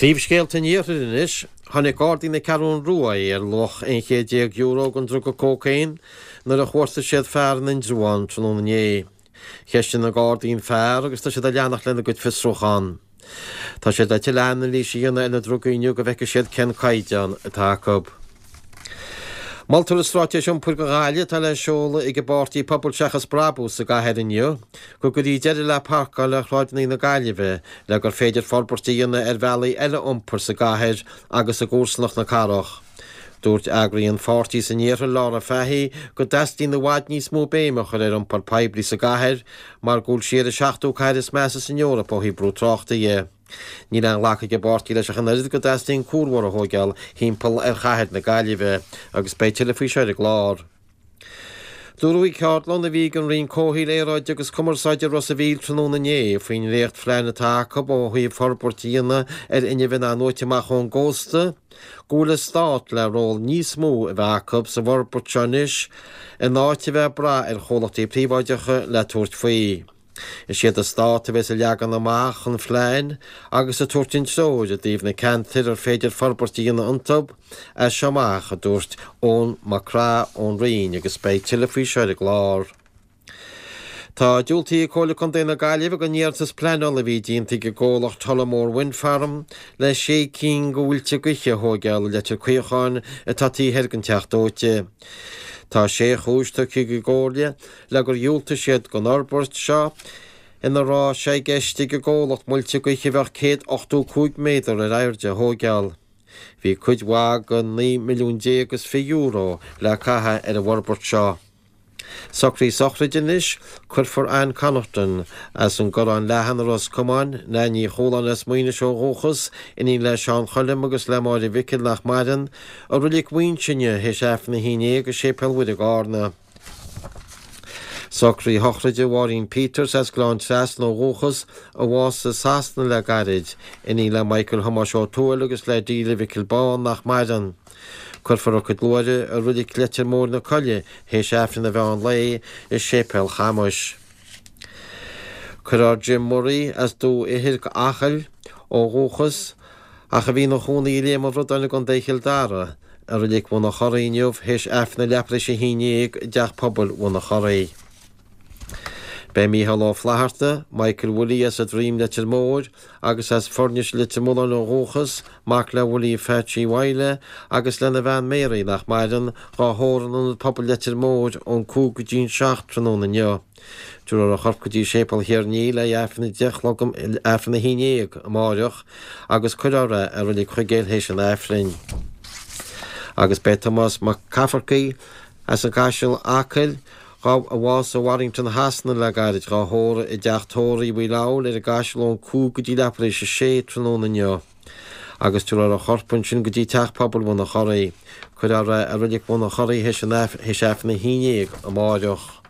Príomhscéalta an Iarthair anois. Tháinig Gardaí na Ceathrún Rua ar luach €11 chéad den druga cócaon nuair a chuartaigh siad fear in Indreabhán tráthnóna inné. Cheistigh na Gardaí an fear agus tá siad ag leanacht lena gcuid fiosrúchán. Tá siad le tuilleadh anailíse a dhéanamh ar na drugaí inniu go bhfeicfidh siad cén caighdeán atá acu. Moltar i Straitéis Iompair do Ghaillimh atá le seoladh ag an bpáirtí Pobal Seachas Brabús sa gcathair inniu go gcuirfí deireadh le parcáil ar shráideanna na Gaillimhe le gur féidir forbairt a dhéanamh ar bhealaí eile iompair sa gcathair agus i gcomharsanacht na cathrach. Dúirt eagraí an pháirtí san iarthar Laura Fahy go dteastaíonn i bhfad níos mó béime a chur ar iompar poiblí sa gcathair mar go bhfuil sí ar an seachtú cathair is measa san Eoraip ó thaobh brú tráchta dhe. Níl aon ghlacadh ag an bpáirtí leis ach an oiread go dteastaíonn cuarbhóthar a thóigeáil thimpeall ar chathair na Gaillimhe agus beidh tuilleadh faoi seo ar an gclár. Dúradh ag ceardlann a bhí ag an Roinn Comhshaoil, Aeráide agus Cumarsáide i Ros a' Mhíl tráthnóna inné faoin ndréachtphlean atá acu ó thaobh forbairt a dhéanamh ar fhuinneamh in-athnuaite amach ón gcósta go bhfuil an Stát le ról níos mó a bheith acu sa bhforbairt seo anois in áit a bheith ag brath ar chomhlachtaí príobháideacha le tabhairt faoi. Is iad an Stát a bheas ag leagan amach an phlean agus ag tabhairt an treoir i dtaobh na ceantair ar féidir forbairt a dhéanamh iontu as seo amach, a dúirt Eoin Mac Craith ón Roinn agus beidh tuilleadh faoi seo ar an gclár. Tá diúltaithe ag Comhairle Contae na Gaillimhe don iarratas pleanála a bhí déanta ag an gcomhlacht Tullamore Wind Farm le sé cinn de mhuilte gaoithe a thóigeáil i Leitir Caocháin atá taobh thoir den Teach Dóite. Tá sé chúis tugtha ag an gComhairle le gur dhiúltaigh siad don fhorbairt seo ina raibh sé i gceist ag an gcomhlacht muilte gaoithe a bheadh 185 méadar ar airde a thóigeáil. Bhí cuid mhaith den €19 milliún is €20 le caitheamh ar an bhforbairt seo. Socruithe sochraide anois, cuirfear Ann Connaughton as an gCorrán Leathan i Ros Comáin, Nan Ní Chualáin as Muighnis ó dhúchas, iníon le Seán Choilm agus le Máire Mhicil nach maireann, i Reilig Mhuighinse inniu théis Aifreann a 11 i Séipéal Mhuire i gCarna. Socruithe sochraide Mháirín Peters as Gleann Trasna ó dhúchas, a bhásaigh i Sasana le gairid, iníon le Michael Thomáis Ó Tuathail agus le Delia Mhicil Bán nach maireann. Cuirfear a cuid luaithre i Reilig Leitir Móir na Coille théis Aifreann an mheán lae i Séipéal Chamuis. Cuirfear Jim Murray as Dumha Ithir, Acaill, ó dhúchas, ach a bhí ina chónaí i Léim an Bhradáin i gContae Chill Dara, i Reilig Bhun an Chorraigh inniu théis Aifreann a leathuair tar éis a haon dhéag i dTeach Pobail Bhun an Chorraigh. Beidh Mícheál Ó Flatharta, Michael Willie as an Droim Leitir Móir agus as Foirnis Leitir Mealláin ó dhúchas, mac le Willie Phatchie Mhaidhle agus lena bhean Mary nach maireann, dhá thórramh in Ionad Pobail Leitir Móir ón 5 go dtí an 7 tráthnóna inniu. Tabharfar a chorp go dtí Séipéal Thír an Fhia le hAifreann a 10 a chlog, Aifreann a 11 amáireach agus cuirfear é i Reilig Chuigéil théis an Aifrinn. Agus beidh Tomás Mac Cafferkey as an gCaiseal, Acaill, a bhásaigh i Warrington Shasana le gairid, dhá thórramh i dteach tórraimh Uí Leabhail ar an gCaiseal ón 5 go dtí leathuair tar éis a sé tráthnóna inniu. Agus tabharfar a chorp ansin go dtí Teach Pobail Bhun an Chorraigh. Cuirfear é i Reilig Bhun an Chorraigh théis Aifreann a 11 amáireach.